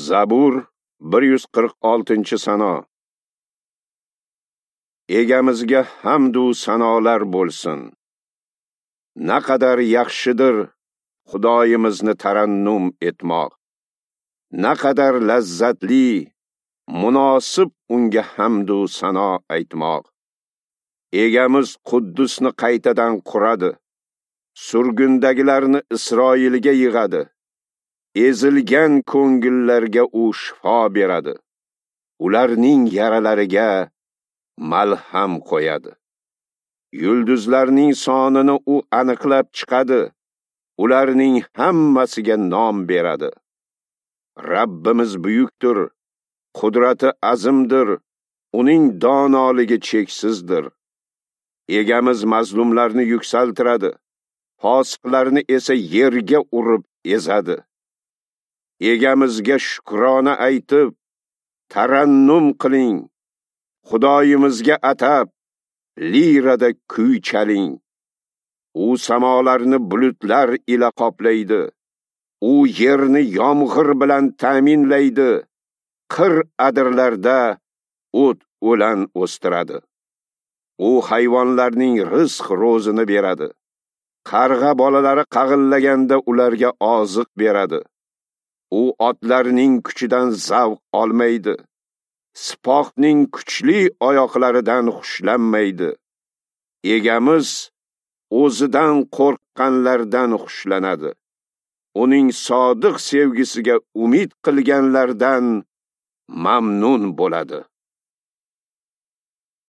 Zabur 146-sano. Egamizga hamd u sanolar bo'lsin. Naqadar yaxshidir Xudoyimizni tarannum etmoq. Naqadar lazzatli, munosib unga hamd u sano aytmoq. Egamiz Quddusni qaytadan quradi. Surgundagilarni Isroilga yig'adi. Ezilgan ko'ngillarga u shifo beradi. Ularning yaralariga malham qo'yadi. Yulduzlarning sonini u aniqlab chiqadi. Ularning hammasiga nom beradi. Rabbimiz buyukdir, qudrati azimdir, uning donoligi cheksizdir. Egamiz mazlumlarni yuksaltiradi, fosiqlarni esa yerga urib ezadi. Egamizga shukrona aytib, tarannum qiling. Xudoyimizga atab, lirada kuy chaling. U samolarni bulutlar ila qoplaydi. U yerni yomg'ir bilan ta'minlaydi. Qir adirlarda o't o'lan o'stiradi. U hayvonlarning rizq ro'zini beradi. Qarg'a bolalari qag'illaganda ularga oziq beradi. U otlarning kuchidan zavq olmaydi. Sipohning kuchli oyoqlaridan xushlanmaydi. Egamiz o'zidan qo'rqqanlardan xushlanadi. Uning sodiq sevgisiga umid qilganlardan mamnun bo'ladi.